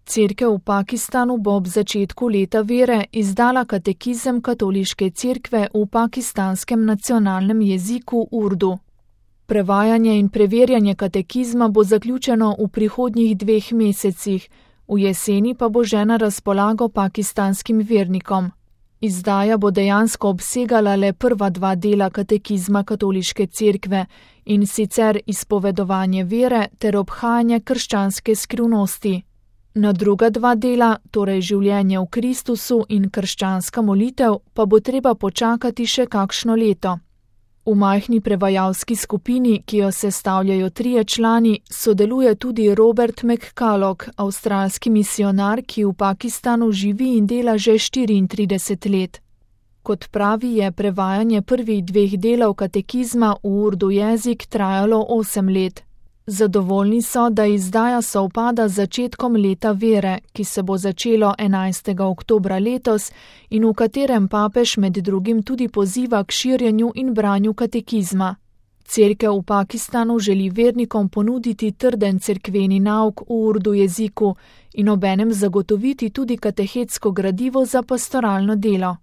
Cerkev v Pakistanu bo ob začetku leta vere izdala katekizem katoliške cerkve v pakistanskem nacionalnem jeziku urdu. Prevajanje in preverjanje katekizma bo zaključeno v prihodnjih 2 mesecih, v jeseni pa bo že na razpolago pakistanskim vernikom. Izdaja bo dejansko obsegala le prva 2 dela katekizma katoliške cerkve, in sicer izpovedovanje vere ter obhajanje krščanske skrivnosti. Na druga 2 dela, torej življenje v Kristusu in krščanska molitev, pa bo treba počakati še kakšno leto. V majhni prevajalski skupini, ki jo sestavljajo 3 člani, sodeluje tudi Robert McCulloch, avstralski misionar, ki v Pakistanu živi in dela že 34 let. Kot pravi, je prevajanje prvih 2 delov katekizma v urdu jezik trajalo 8 let. Zadovoljni so, da izdaja sovpada z začetkom leta vere, ki se bo začelo 11. oktobra letos in v katerem papež med drugim tudi poziva k širjenju in branju katekizma. Cerkev v Pakistanu želi vernikom ponuditi trden cerkveni nauk v urdu jeziku in obenem zagotoviti tudi katehetsko gradivo za pastoralno delo.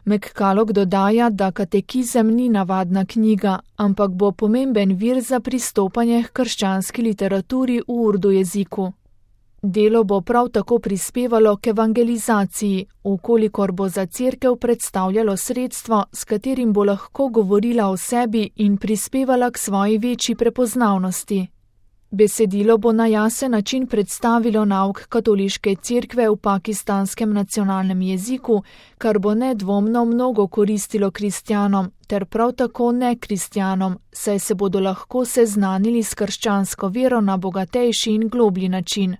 McCulloch dodaja, da katekizem ni navadna knjiga, ampak bo pomemben vir za pristopanje k krščanski literaturi v urdu jeziku. Delo bo prav tako prispevalo k evangelizaciji, vkolikor bo za cerkev predstavljalo sredstvo, s katerim bo lahko govorila o sebi in prispevala k svoji večji prepoznavnosti. Besedilo bo na jasen način predstavilo nauk katoliške cerkve v pakistanskem nacionalnem jeziku, kar bo nedvomno mnogo koristilo kristjanom, ter prav tako nekristjanom, saj se bodo lahko seznanili s krščansko vero na bogatejši in globlji način.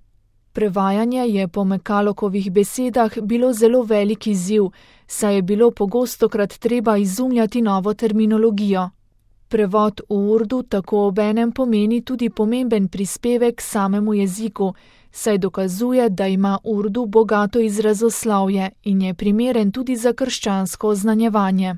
Prevajanje je po McCullochovih besedah bilo zelo velik izziv, saj je bilo pogostokrat treba izumljati novo terminologijo. Prevod v urdu tako obenem pomeni tudi pomemben prispevek k samemu jeziku, saj dokazuje, da ima urdu bogato izrazoslovje in je primeren tudi za krščansko oznanjevanje.